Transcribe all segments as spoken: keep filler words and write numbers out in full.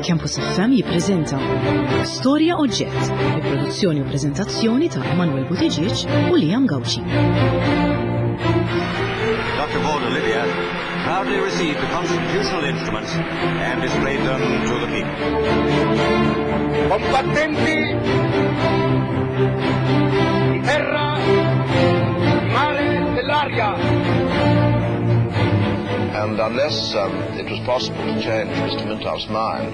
Campus F M jippreżenta Storja Oġġett, bi produzzjoni u preżentazzjoni ta' Emanuel Buttigieg u Liam Gauci. Doctor Borg Olivia proudly received the constitutional instruments and displayed them to the people. Combattenti di terra, di mare, dell'aria. And unless um, it was possible to change Mister Mintoff's mind,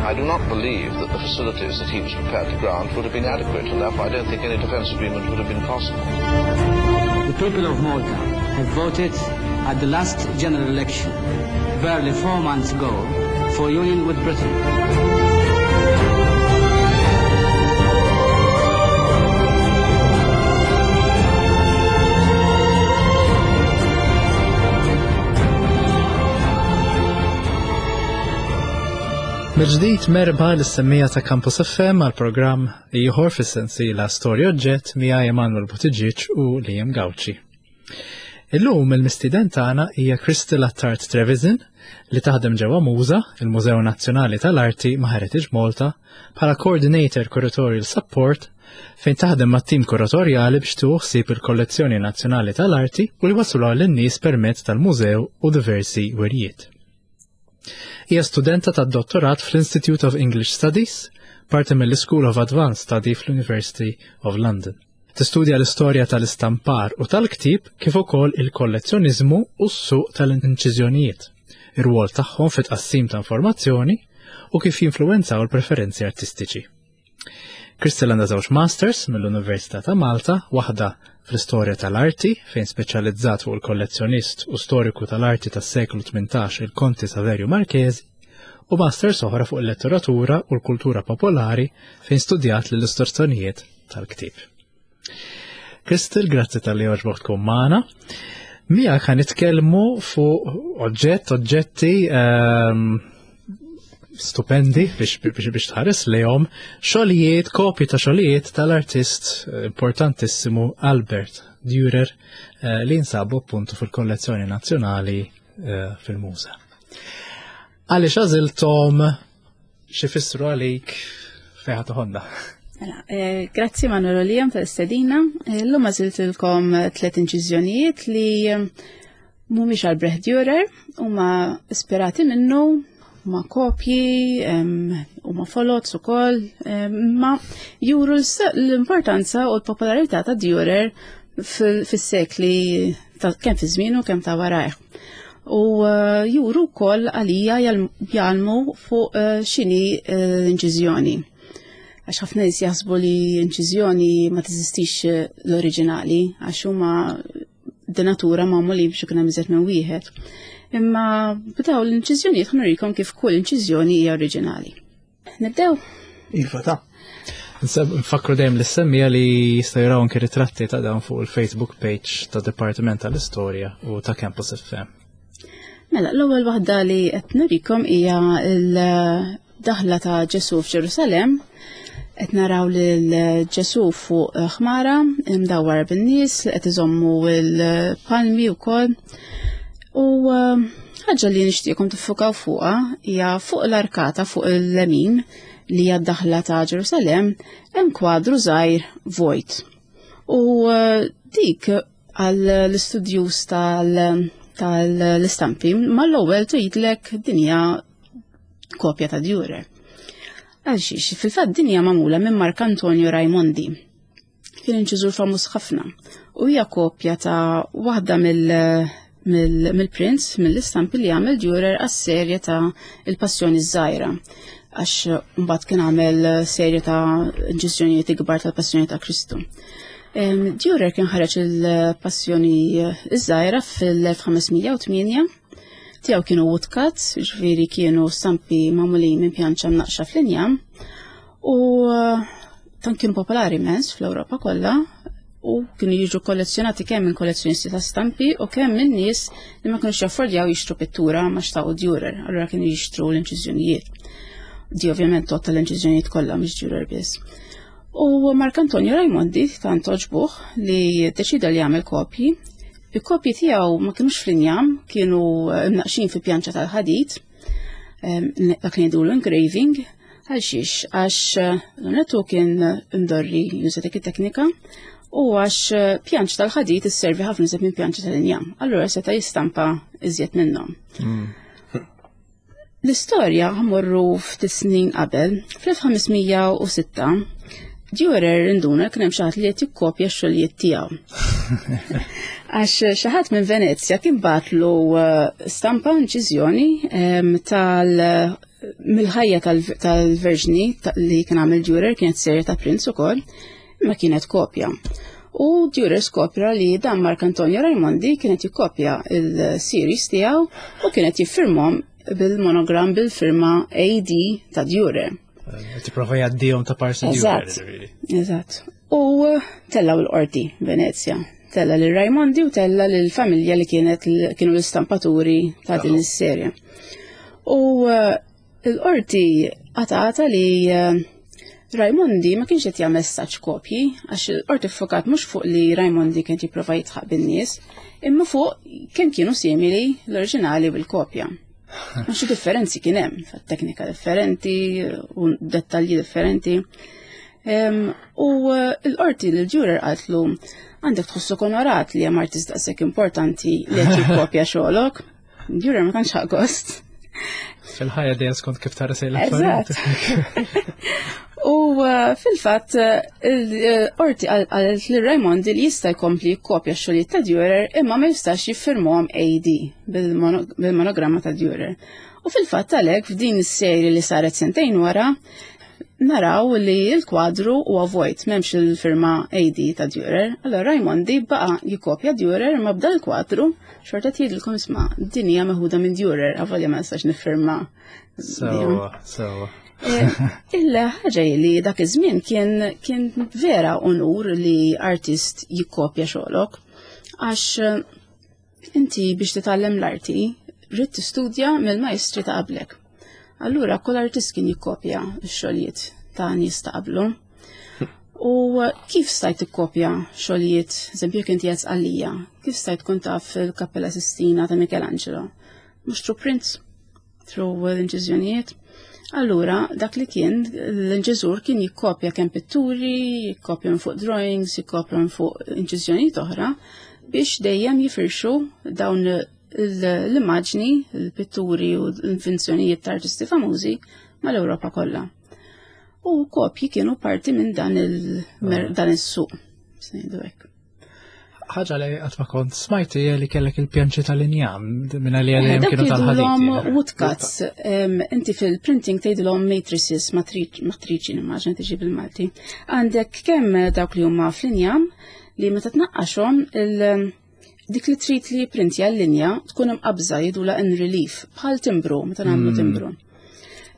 I do not believe that the facilities that he was prepared to grant would have been adequate, and therefore I don't think any defence agreement would have been possible. The people of Malta have voted at the last general election, barely four months ago, for union with Britain. Mill-ġdid merħba lis-semmiegħa ta' Campus F M għal programm ieħor fis-sensiela Storja Oġġett miegħi Emanuel Buttigieg u Liam Gauci. Illum il-mistieden tagħna hija Crystal Attard Trevisan li taħdem ġewwa MUŻA, il-Mużew Nazzjonali tal-Arti ma' Heritage Malta, bħala Coordinator Curatorial Support fejn taħdem mat-tim kuratorjali biex tieħu ħsieb il-Kollezzjoni Nazzjonali tal-Arti u li wasluha lin-nies permezz tal-mużew u diversi wirjiet. Hija studenta tad-dottorat fl-Institute of English Studies, parti mill-School of Advanced Study fl-University of London. Tistudja l-istorja tal-istampar u tal-ktib kif ukoll il-kollezzjoniżmu u s-suq tal-inċiżjonijiet, ir-rwol tagħhom fit-tqassim ta' informazzjoni u kif jinfluwenzaw il-preferenzi artistiċi. Crystal għandha żewġ masters mill-Università ta' Malta, waħda fl-istorja tal-arti fejn speċjalizzat fuq il-kollezzjonist u storiku tal-arti tas-seklu tmintax il-Konti Saverio Marchesi, u masters oħra fuq il-letteratura u l-kultura popolari fejn studjat l-illustrazzjonijiet tal-ktib. Crystal, grazzi talli għoġbok tkun magħna. Miegħek ħa nitkellmu fuq oġġett, oġġetti ehm, stupendi biex, biex, biex tħares lejhom, xogħlijiet, kopji ta' xogħlijiet tal-artist importantissimu Albert Dürer eh, li jinsabu appuntu fil-kollezzjoni nazzjonali eh, fil-MUŻA. Għaliex għażilthom, x'ifissru għalik, fejn ħa teħodna? Mela, eh, grazzi Manuel u Liam tal-istedina. Eh, Illum għażiltilkom tliet inċiżjonijiet li eh, mhumiex Albrecht Dürer, huma ispirati minnu, huma kopji, huma folots ukoll, ma juru l-importanza u l-popolarità ta' Dürer fis-sekli kemm fi żmienu kemm ta' warajh. U juru wkoll għalija jgħallmu fuq x'inhi l-inċiżjoni. Għax ħafna nies jaħsbu li inċiżjoni ma teżistix l-oriġinali, għax huma de natura magħmulin biex ikun hemm iżjed minn wieħed. Imma b'daw l-inċiżjonijiet ħa nurikom kif kull inċiżjoni hija oriġinali. Nibdew? Iva ta'. Nfakru dejjem lis-semmiegħa li jistgħu jaraw anke ritratti ta' dawn fuq il-Facebook page ta' Dipartiment tal-Istorja u ta' Campus F M. Mela, l-ewwel waħda li qed nurikom hija l-daħla ta' Ġesu f'Ġerusalem. Qed naraw lil Ġesu fuq ħmara imdawwar bin-nies li qed iżommu l-palmi wkoll. U ħaġa li nixtieqkom tiffukaw fuqha hija fuq l-arkata fuq il-lemin li hija d-daħla ta' Ġerusalem hemm kwadru żgħir vojt. U dik għall-istudjus tal-istampi mal-ewwel tgħidlek din hija kopja ta' Dürer. Għalxiex, fil-fatt din hija magħmula minn Marc Antonio Raimondi. Kien inċiżur famuż ħafna u hija kopja ta' waħda mill-, mill-, mill-prints, mill-istampi li għamel Dürer għas-serje ta' il-Passjoni Żgħira. Għax mbagħad kien għamel serje ta' inċiżjonijiet ikbar tal-Passjoni ta' Kristu. Em, Dürer kien ħareġ il-Passjoni Żgħira fil-elf ħames mija u tmienja. Tiegħu kienu woodcuts, ġifieri kienu stampi magħmulin minn pjanċa mnaqxa fl-injam. U tant kienu popolari immens fl-Ewropa kollha u kienu jiġu kollezzjonati kemm minn kollezzjonisti ta' stampi u kemm minn nies li ma kinux jaffordjaw jixtru pittura ma xtaqu Dürer, allura kienu jixtru l-inċiżjonijiet. Di ovvjament totta l-inċiżjonijiet kollha mhux Dürer biss. U Marc Antonio Raimondi tant għoġbuh li deċida li jagħmel kopji. Il-kopji tiegħu ma kinux fl-injam, kienu mnaqxin fi pjanċa tal-ħadid. Dak li ngħidulu engraving, għal xiex, għax l-onetu kien imdorri juża dik it-teknika u għax pjanċ tal-ħadid isservi ħafna iżjed minn pjanċ tal-injam. Allura seta' jistampa iżjed minnhom. L-istorja ħa mmorru ftit snin qabel, fl-elf ħames mija u sitta Dürer induna kien hemm xi ħadd li qed jikkopja x-xogħlijiet tiegħu. Għax xi ħadd minn Venezja kien bagħatlu eh, stampa, inċiżjoni tal mill-ħajja tal-Verġni li kien għamel Dürer, kienet serje ta' prints ukoll, imma kienet kopja. U Dürer skopra li dan Mark Antonio Raimondi kienet jikkopja il-series tiegħu u kienet jiffirmhom bil-monogram, bil-firma A D ta' Dürer. Tipprova jgħaddihom ta' parsi Eżatt. Eżatt. U tellaw il-qorti Venezja. Tella lil Raimondi u tella lil familja li kienet kienu l-istampaturi ta' din is-serje. U eh, l-qorti qatgħetha li eh, Raimondi ma kienx qed jagħmel saċ kopji, għax il-qorti ffokat mhux fuq li Raimondi kien jipprova jidħaq bin-nies, imma fuq kemm kienu simili l-oriġinali bil-kopja. Ma xi differenzi kien hemm, teknika differenti u dettalji differenti. U eh, l-qorti lil Dürer qaltlu, "Għandek tħossok onorat li hemm artist daqshekk importanti li qed jikkopja xogħolok." Dürer ma tantx gost. Fil-ħajja dejjem skont kif tara sej. Eżatt. U eh, fil-fatt il-qorti qalet li Raimondi li jista' jkompli jikkopja x-xogħlijiet ta' Dürer, imma ma jistax jiffirmhom A D bil-monogramma ta' Dürer. U fil-fatt għalhekk f'din is-serje li saret sentejn wara naraw li l-kwadru huwa vojt, m'hemmx il-firma A D ta' Dürer. Allora Raimondi baqa' jikkopja Dürer, imma b'dan il-kwadru xorta tgħidilkom, "Isma', din hija meħuda minn Dürer, avolja ma nistax niffirma." So, so. Eh, il-ħaġa li dak iż-żmien kien kien vera onur li artist jikkopja xogħolok, għax eh, inti biex titgħallem l-arti rrid tistudja mill-majstri ta' qablek. Allura kull artist kien jikkopja x-xogħlijiet ta' nies ta' qablu. U kif stajt tikkopja xogħlijiet, eżempju, kien tiegħek għalija, kif stajt tkun taf il-Kappella Sistina ta' Michelangelo? Mhux through prints, through l-inċiżjonijiet. Allura, dak li kien, l-inċiżur kien jikkopja kemm pitturi, jikkopja minn fuq drawings, jikkopja minn fuq inċiżjonijiet oħra, biex dejjem jifirxu dawn l-immaġni, l-pitturi u l-invenzjonijiet ta' artisti famużi mal-Ewropa kollha. U kopji kienu parti minn dan il- is-suq. Ngħidu hekk. Ħaġa li qatt ma kont smajt hija li kellek il-pjanċi tal-injam minn li għalihom kienu tal-ħadid. Woodcuts, inti fil-printing tgħidilhom matrices, matriċi nimmaġina tiġi bil-Malti. Għandek kemm dawk li huma fl-injam li meta tnaqqaxhom il- dik li trid li printja l-linja tkun imqabża, jgħidulha in relief, bħal timbru, meta nagħmlu mm. timbru.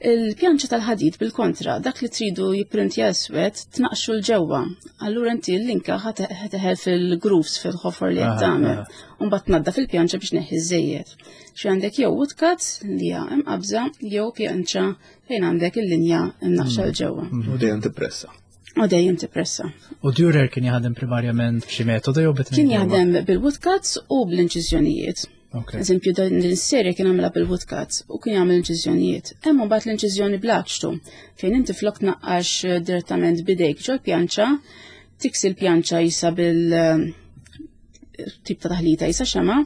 Il-pjanċa tal-ħadid bil-kontra, dak li tridu jipprintja iswed tnaqxu 'l ġewwa. Allura inti l-linka ħa teħel fil-grooves, fil-ħofor li qed tagħmel. U mbagħad tnaddaf il-pjanċa biex tneħħi żejjed. Xi għandek jew woodcuts li hija imqabża jew pjanċa fejn għandek il-linja imnaqxa 'l ġewwa. U dejjem tippressa. U dejjem tippressa. U Dürer kien jaħdem primarjament b'xi metodu jew bit Kien jaħdem bil-woodcuts u bl-inċiżjonijiet. Eżempju, din is-serje kien għamilha bil-woodcuts u kien jagħmel inċiżjonijiet. Hemm mbagħad l-inċiżjoni bl-aċtu, fejn inti flok tnaqqax direttament bidejk ġol pjanċa, tiksi l-pjanċa jisa bil tip ta' taħlita jisa xema,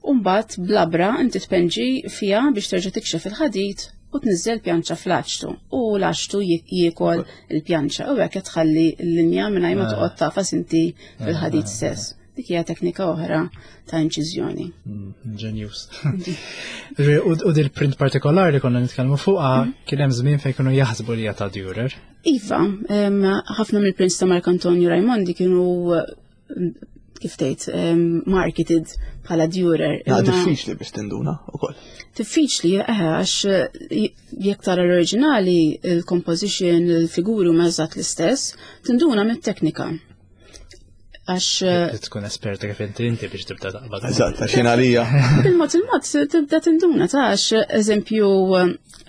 u mbagħad blabra inti tpenġi fiha biex terġa' tikxef il-ħadid u tniżżel pjanċa fl-aċtu u l-aċtu jiekol il-pjanċa u hekk tħalli l-linja mingħajr ma toqgħod tagħfas inti fil-ħadid stess. Dik hija teknika oħra ta' inċiżjoni. Genius. U dil-print partikolari li konna nitkellmu fuqha, kien hemm żmien fejn kienu jaħsbu li ta' Dürer. Iva, ħafna mill-prints ta' Mark Antonio Raimondi kienu, kif tgħid, marketed bħala Dürer. Ja, diffiċli biex tinduna ukoll. Diffiċli, eħe, għax jekk tara l-oriġinali, il-composition, il-figuri huma eżatt l-istess, tinduna mit-teknika. Għax Tkun esperta kif inti inti biex tibda taqbad. Eżatt, għax jien għalija. Bil-mod il-mod tibda tinduna ta' għax, eżempju,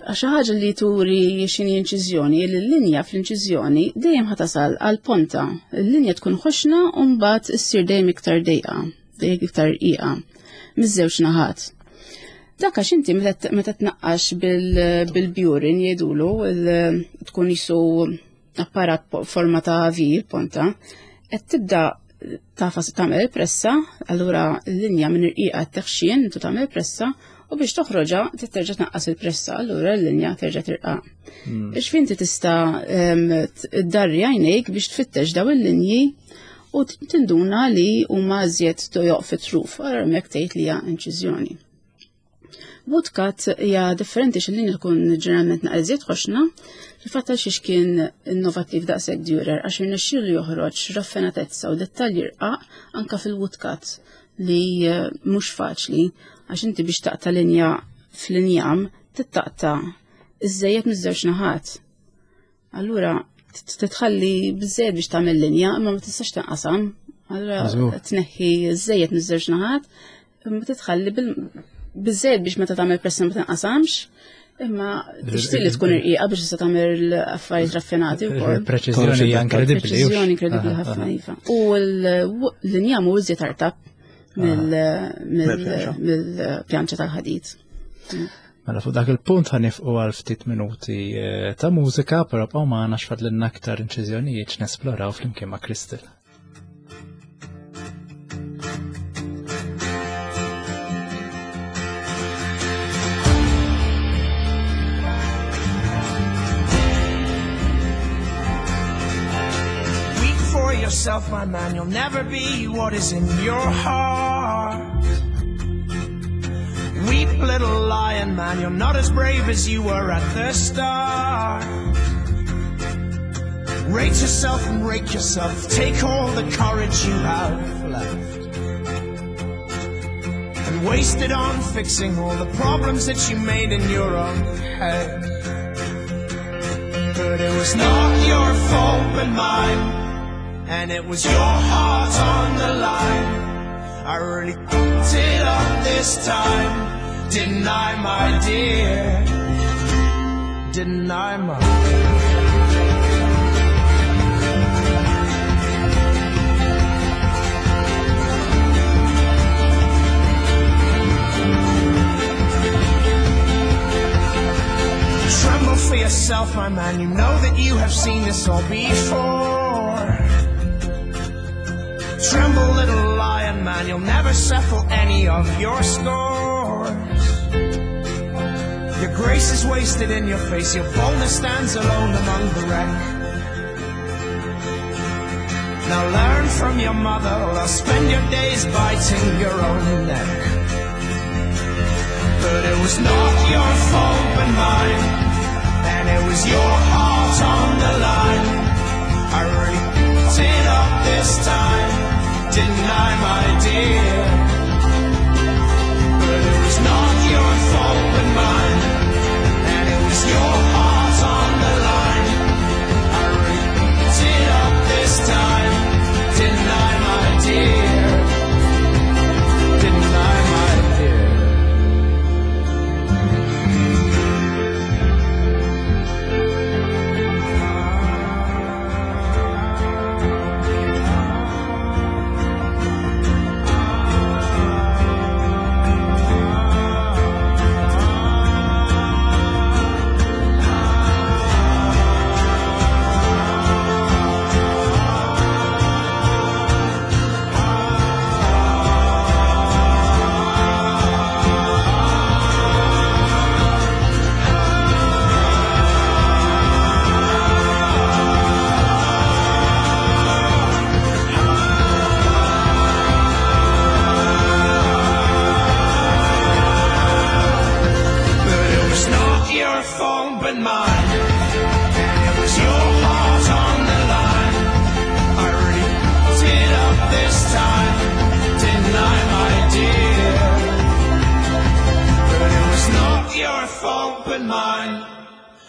għax ħaġa li turi x'inhi inċiżjoni, li l-linja fl-inċiżjoni dejjem ħa tasal għal ponta. Il-linja tkun ħoxna u mbagħad issir dejjem iktar dejqa, dejjem iktar iqa, miż-żewġ naħat. Dak għax inti meta tnaqqax bil-burin jgħidulu tkun jisu apparat forma ta' V ponta, qed tibda tafas tagħmel pressa, allura l-linja minn irqiqa teħxien intu tagħmel pressa u biex toħroġha terġa' tnaqqas il-pressa, allura l-linja terġa' tirqaq. Biex inti tista' ddarri għajnejk biex tfittex daw il-linji u tinduna li huma iżjed tojoq fit-truf, allura hemmhekk tgħid li hija inċiżjoni. Woodcut hija differenti x'il-linja tkun ġeneralment naqra iżjed ħoxna, fil-fatt għal xiex kien innovattiv daqshekk Dürer għax irnexxielu joħroġ raffinatezza u dettalji rqaq anka fil-woodcut li mhux faċli għax inti biex taqta' linja fl-injam tittaqta' iżejjed miż-żewġ naħat. Allura titħalli biżejjed biex tagħmel linja imma ma tistax tinqasam. Allura tneħħi iżejjed miż-żewġ naħat imma titħalli biżejjed biex meta tagħmel pressa ma tinqasamx, imma tixtieq li tkun irqiqa biex tista' tagħmel affarijiet raffinati wkoll. Preċiżjoni hija inkredibbli. Preċiżjoni inkredibbli ħafna iva. U l-injam hu iżjed artab mill-pjanċa tal-ħadid. Mela fuq dak il-punt ħanifqu għal ftit minuti ta' mużika, però bqgħu magħna x'fadlilna aktar inċiżjonijiet x'nesploraw flimkien ma' Crystal. Yourself, my man, you'll never be what is in your heart. Weep, little lion man, you're not as brave as you were at the start. Rate yourself and rake yourself, take all the courage you have left and waste it on fixing all the problems that you made in your own head. But it was not your fault but mine, and it was your heart on the line. I really f***ed it up this time, didn't I, my dear? Didn't I, my dear? Tremble for yourself, my man, you know that you have seen this all before. Tremble, little lion man, you'll never settle any of your scores. Your grace is wasted in your face, your boldness stands alone among the wreck. Now learn from your mother, or else spend your days biting your own neck. But it was not your fault but mine, and it was your heart on the line. I really f***ed it up this time, didn't I, my dear? But it was not your fault but mine, and it was your heart on the line. I really f***ed it up this time, didn't I, my dear? Didn't I, my dear?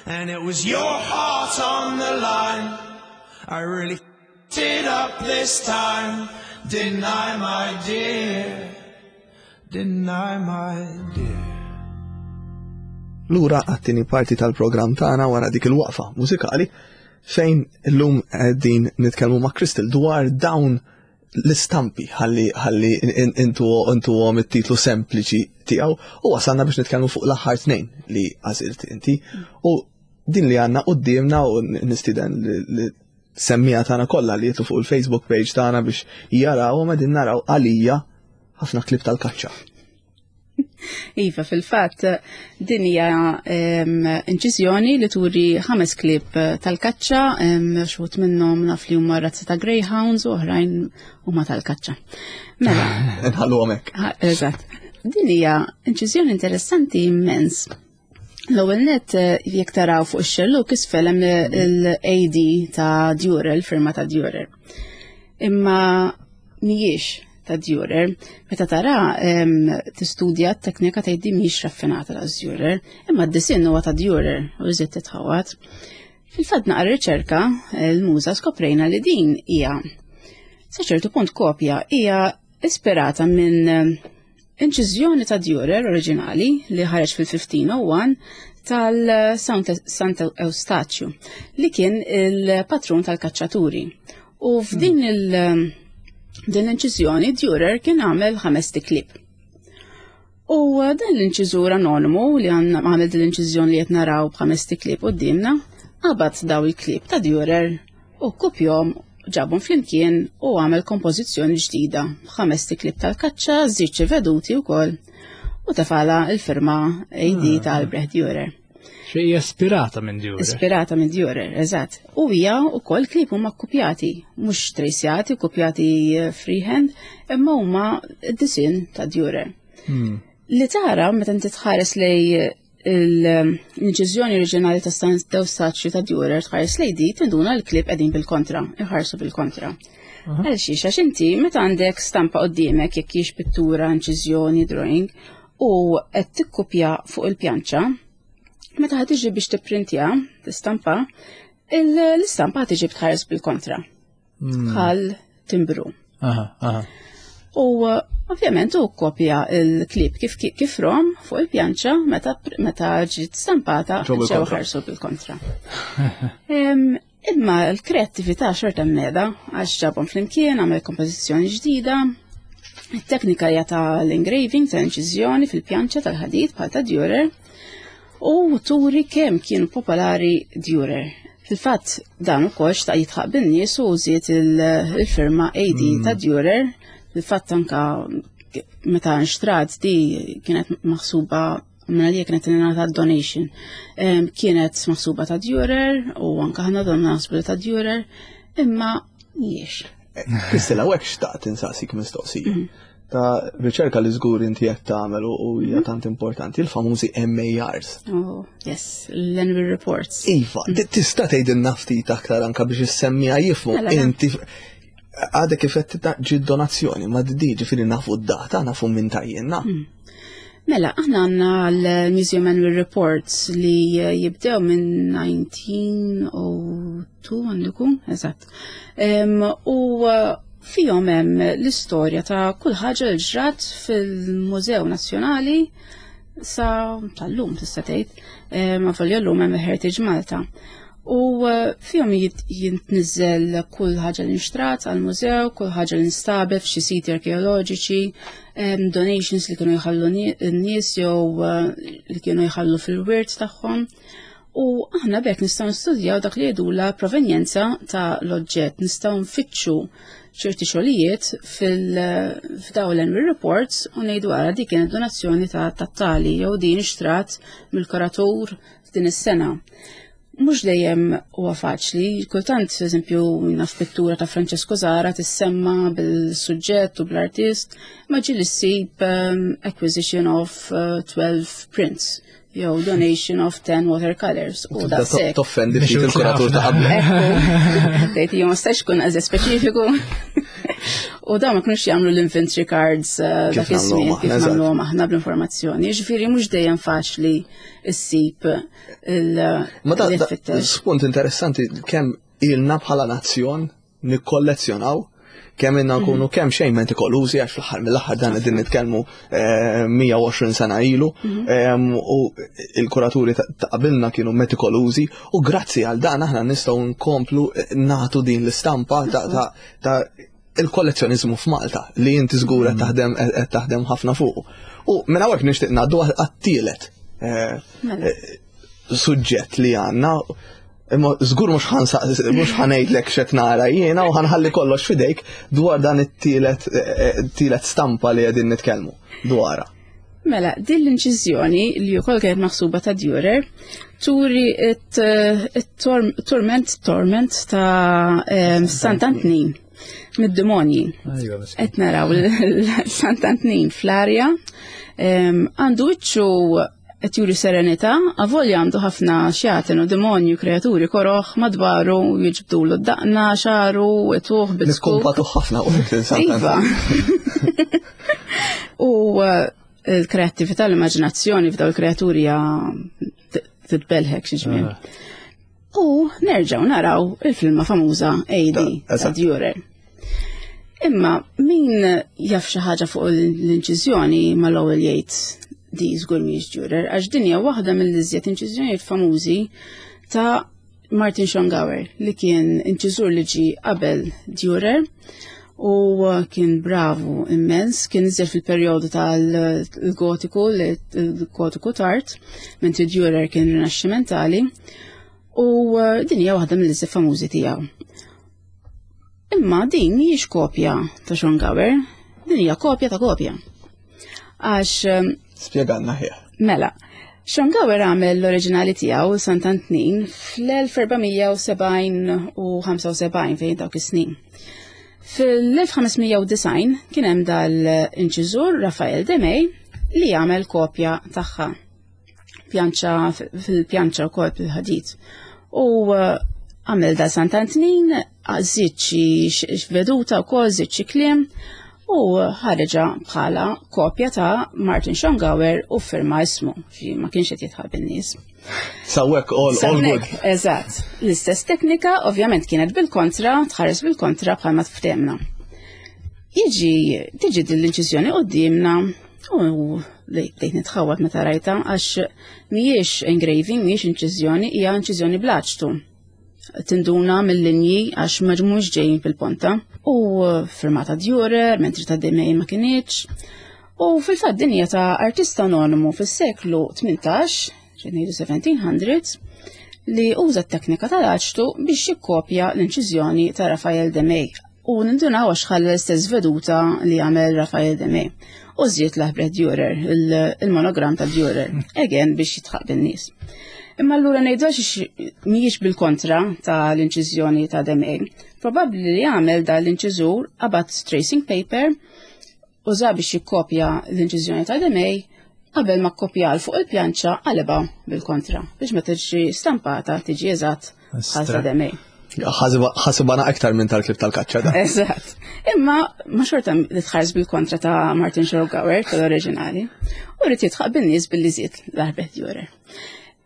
And it was your heart on the line. I really f***ed it up this time, didn't I, my dear? Didn't I, my dear? Lura għat-tieni parti tal-programm tagħna wara dik il-waqfa mużikali fejn illum qegħdin nitkellmu ma' Crystal dwar dawn L-istampi ħalli ħalli intu intu għom it-titlu sempliċi tiegħu u wasalna biex nitkellmu fuq l-aħħar tnejn li għażilt inti u din li għandna qudiemna u nistieden li semmiegħa tagħna kollha li jitilgħu fuq il-Facebook page tagħna biex jaraw ma din naraw għalija ħafna klieb tal-kaċċa. Iva, fil-fatt, din hija inċiżjoni li turi ħames klieb tal-kaċċa, xi wħud minnhom naf li huma razza ta' greyhounds u oħrajn huma tal-kaċċa. Mela. Nħallu hekk. Eżatt. Din hija inċiżjoni interessanti immens. L-ewwel net, jekk taraw fuq ix-xelluk isfel hemm l-A D ta' Dürer, il-firma ta' Dürer. Imma mhijiex ta' Dürer. Meta tara tistudja t-teknika tgħid mhix raffinata ta' Dürer, imma d-disinn huwa ta' Dürer u żied titħawat. Fil-fatt naqra riċerka l-muża skoprejna li din hija sa ċertu punt kopja, hija ispirata minn inċiżjoni ta' Dürer oriġinali li ħareġ fil-fifteen oh one tal-Sant Eustachio li kien il-patrun tal-kaċċaturi. U f'din il- din l-inċiżjoni Dürer kien għamel ħames klieb. U dan l-inċiżur anonimu li għamel din l-inċiżjoni li qed naraw b'ħames klieb qudiemna, qabad daw il-klieb ta' Dürer u kopjahom, ġabhom flimkien u għamel kompożizzjoni ġdida b'ħames klieb tal-kaċċa, żied veduti wkoll u tefagħlha il-firma A D ah. ta' Albrecht Dürer. Xi hija ispirata minn Dürer. Ispirata minn Dürer, eżatt. U hija wkoll klieb huma kopjati, mhux trejsjati, kopjati freehand, imma huma d-disin ta' Dürer. Hmm. Li tara meta inti tħares lej l-inċiżjoni oriġinali ta' San Eustachio ta' Dürer, tħares lej di, tinduna l-klieb qegħdin bil-kontra, iħarsu bil-kontra. Għal xiex, għax inti meta għandek stampa qoddiemek, jekk hix pittura, inċiżjoni, drawing, u qed tikkupja fuq il-pjanċa, meta ħa tiġi biex tipprintja, tistampa, l-istampa ħa tiġi btħares bil-kontra. Hmm. Bħal timbru. Aha, aha. U ovvjament u kopja il-klieb kif kif rom fuq il-pjanċa, meta meta ġiet stampata ġew ħarsu bil-kontra. Imma l-kreattività xorta mneda għax ġabhom flimkien, għamel kompożizzjoni ġdida. Il-teknika hija tal-engraving, ta' inċiżjoni fil-pjanċa tal-ħadid bħal ta' Dürer u turi kemm kienu popolari Dürer. Fil-fatt dan ukoll xtaq jidħaq bin-nies u żied il-firma A D mm. ta' Dürer. Fil-fatt anka meta nxtrat di kienet maħsuba minna li kienet ingħata donation. Kienet maħsuba ta' Dürer u anka ħana donna naħsbu ta' Dürer, imma mhijiex. Kristela, u hekk xtaqt insaqsik mistoqsija. Mhm. Ta' riċerka li żgur inti qed tagħmel u hija mhm. tant importanti, il-famużi M A Rs. Oh, yes, l-Annual Reports. Iva, mhm. tista' tgħidilna ftit aktar anka biex is-semmiegħa jifhmu mela, inti għadek kif qed ġi donazzjoni, ma di ġifieri nafu d-data, nafu minn tajjenna. Mm. Mela, aħna għandna l-Museum Annual Reports li jibdew minn elf disa' mija u tnejn għandu, eżatt. U fihom hemm l-istorja ta' kull ħaġa li ġrat fil-Mużew Nazzjonali sa tal-lum tista' tgħid, ma folja llum hemm Heritage Malta. U eh, fihom jintniżel kull ħaġa li nxtrat għal-mużew, kull ħaġa li nstabet f'xi siti arkeoloġiċi, donations li kienu jħallu n-nies jew eh, li kienu jħallu fil-wirt tagħhom. U aħna bekk nistgħu nistudjaw dak li jgħidula provenjenza ta' l-oġġett, nistgħu nfittxu ċerti xogħlijiet fil-f'daw l-annual reports u ngħidu għara di kienet donazzjoni ta' tat-tali jew din xtrat mill-kuratur f'din is-sena. Mhux dejjem huwa faċli, kultant, eżempju, naf pittura ta' Francesco Zara tissemma bil-suġġett u bl-artist, ma ġieli ssib um, acquisition of uh, twelve prints jew donation of ten watercolors. U da toffendi ftit il-kuratur ta' qabel. Tgħid ma stax kun eżatt speċifiku. U da ma kinux jagħmlu l-inventory cards uh, dak iż-żmien kif nagħmluhom aħna bl-informazzjoni. Ġifieri mhux dejjem faċli ssib il Ma da spunt interessanti kemm ilna bħala nazzjon nikkollezzjonaw, kemm inna nkunu mhm. kemm xejn metikolużi, għax fl-aħħar mill-aħħar dan qegħdin nitkellmu eh, mija u għoxrin sena ilu mhm. u il-kuraturi ta' qabilna kienu metikolużi u grazzi għal dan aħna nistgħu nkomplu eh, nagħtu din l-istampa ta' ta' il-kollezzjonizmu f'Malta li inti żgur qed taħdem qed taħdem ħafna fuq. U minn hawnhekk nixtieq ngħaddu għat-tielet eh, Mela. eh, suġġett li għandna. Imma żgur mhux ħansa mhux ħa ngħidlek x'qed nara jiena u ħa nħalli kollox f'idejk dwar dan it-tielet eh, tielet stampa li qegħdin nitkellmu dwarha. Mela, din l-inċiżjoni li wkoll kienet maħsuba ta' Dürer turi it-torment torment ta' em, Sant'Antnin mid-demonji. Ejwa, miskin. Qed naraw l-Sant'Antnin fl-arja, em, għandu wiċċu qed juri serenità, avolja għandu ħafna xjaten u demonju, kreaturi koroħ madwaru jiġbdulu d-daqna, xagħru, ituh bil-skuk. Nikkumpatu ħafna u Iva. U uh, il-kreattività, l-immaġinazzjoni f'daw il-kreaturi hija t- titbelħek xi ġmien. U nerġgħu naraw il-filma famuża A D Da, ta' eżatt. Dürer. Imma min jaf xi ħaġa fuq l-inċiżjoni mal-ewwel jgħid di żgur mhijiex Dürer, għax din hija waħda mill-iżjed inċiżjonijiet famużi ta' Martin Schongauer, li kien inċiżur li ġi qabel Dürer u kien bravu immens, kien iżjed fil-perjodu tal-gotiku, l-gotiku tard, mentri Dürer kien rinaxximentali, u uh, din hija waħda mill-iżjed famużi tiegħu. Imma din mhijiex kopja ta' Schongauer, din hija kopja ta' kopja. Għax um, Spjegalna ħija. Mela, Schongauer għamel l-oriġinali tiegħu Sant'Antnin fl-elf erba' mija u sebgħin u ħamsa u sebgħin, fejn dawk is-snin. Fil-elf ħames mija u disgħin kien hemm dal-inċiżur Rafael de May li għamel kopja tagħha. Pjanċa fil-pjanċa wkoll bil-ħadid. U uh, għamel da Sant'Antnin, żied xi veduta wkoll, żied xi kliem u ħareġa bħala kopja ta' Martin Schongauer u firma ismu, xi ma kienx qed jidħaq bin-nies. S'hawnhekk all, all good. S'hawnhekk, eżatt. L-istess teknika ovvjament kienet bil-kontra, tħares bil-kontra bħalma tftemna. Jiġi, tiġi din l-inċiżjoni qudiemna u bdejt nitħawat meta rajta, għax mhijiex engraving, mhijiex inċiżjoni, hija inċiżjoni bl-aċtu. Tinduna mill-linji għax mhux ġejjin fil-ponta. U firmata Dürer, mentri ta' de May ma kinitx. U fil-fatt din hija ta' artista anonimu fis-seklu tmintax, ngħidu seventeen hundreds, li uża t-teknika tal-aċtu biex jikkopja l-inċiżjoni ta' Rafael de May. U nindunaw għax ħalla l-istess veduta li għamel Rafael de May. U żied l-Albrecht Dürer, il-monogram ta' Dürer, again biex jidħaq bin-nies. Imma allura ngħidu għax mhijiex bil-kontra ta' l-inċiżjoni ta' de May. Probabbli li għamel da l-inċiżur qabad tracing paper, uża biex jikkopja l-inċiżjoni ta' de May, qabel ma kopja fuq il-pjanċa qaleba bil-kontra biex ma tiġi stampata tiġi eżatt bħal ta' de May. Ħasibana aktar minn tal-klib tal-kaċċa da. Eżatt. Imma ma xorta li tħares bil-kontra ta' Martin Schongauer tal-oriġinali. U rrid jidħaq bin-nies billi żied l-Albrecht Dürer.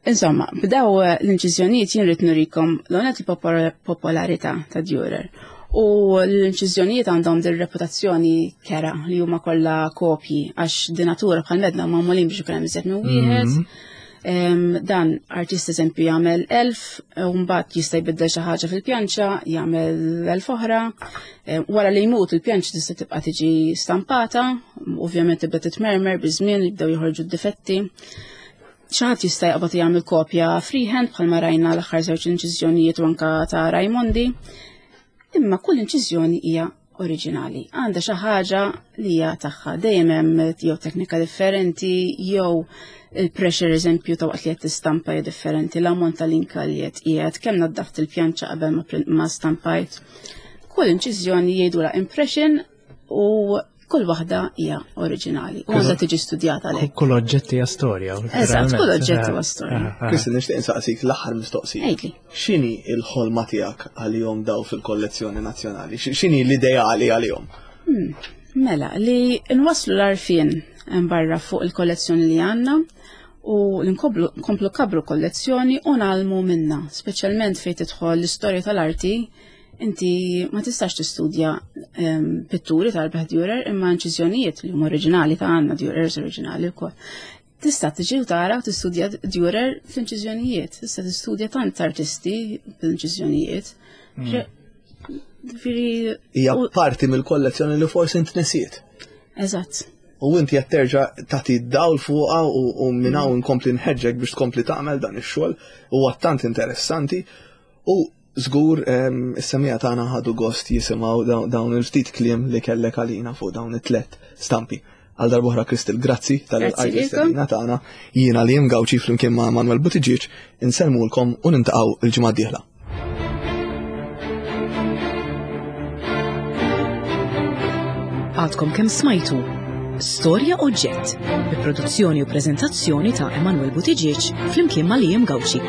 Insomma, b'daw l-inċiżjonijiet jien rrid nurikom l-onet il-popolarità ta' Dürer. U l-inċiżjonijiet għandhom din reputazzjoni kera li huma kollha kopji, għax di natura bħal medna magħmulin biex ikun hemm iżjed minn wieħed. Em, Dan artist eżempju jagħmel elf, u mbagħad jista' jbiddel xi ħaġa fil-pjanċa, jagħmel elf oħra. Em, Wara li jmut, il-pjanċa tista' tibqa' tiġi stampata, ovvjament tibda titmermer biż-żmien, jibdew joħorġu d-difetti. Xi ħadd jista' jaqbad jagħmel kopja freehand bħalma rajna l-aħħar żewġ inċiżjonijiet u anka ta' Raimondi. Imma kull inċiżjoni hija oriġinali. Għandha xi ħaġa li hija tagħha. Dejjem hemm jew teknika differenti, jew il-pressure eżempju ta' waqt li qed tistampa hija differenti, l-ammont tal-inka li qed qiegħed, kemm naddaft il-pjanċa qabel ma print- ma stampajt. Kull inċiżjoni jgħidulha impression u kull waħda hija oriġinali u għandha tiġi studjata għalhekk. Kull oġġett hija storja. Eżatt, kull oġġett huwa storja. Kristin, nixtieq insaqsik l-aħħar mistoqsija. Għidli. X'inhi l-ħolma tiegħek għalihom daw fil-kollezzjoni nazzjonali? X'inhi l-ideali għalihom? Mela, li nwasslu l-għarfien barra fuq il-kollezzjoni li għandna u li nkomplu nkomplu nkabbru kollezzjoni u ngħallmu minna, speċjalment fejn tidħol l-istorja tal-arti, inti ma tistax tistudja em, pitturi tal-Albrecht Dürer, imma inċiżjonijiet li huma oriġinali ta' għandna Dürers oriġinali wkoll. Tista' tiġi u tara u tistudja Dürer fl-inċiżjonijiet, tista' tistudja tant artisti fl-inċiżjonijiet. Ġifieri Hija parti mill-kollezzjoni li forsi intnesiet. Eżatt. U inti qed terġa' tagħti dawl fuqha u minn hawn nkompli nħeġġek biex tkompli tagħmel dan ix-xogħol, huwa tant interessanti u żgur is-semmiegħa tagħna ħadu gost jisimgħu dawn il-ftit kliem li kellek għalina fuq dawn it-tlet stampi. Għal darb'oħra Crystal, grazzi tal-istedina tagħna. Jiena Liam Gauci flimkien ma' Manuel Buttigieg insellmulkom u nintaqgħu il-ġimgħa d-dieħla. Għadkom kemm smajtu Storja Oġġett bi produzzjoni u preżentazzjoni ta' Emanuel Buttigieg flimkien ma' Liam Gauci.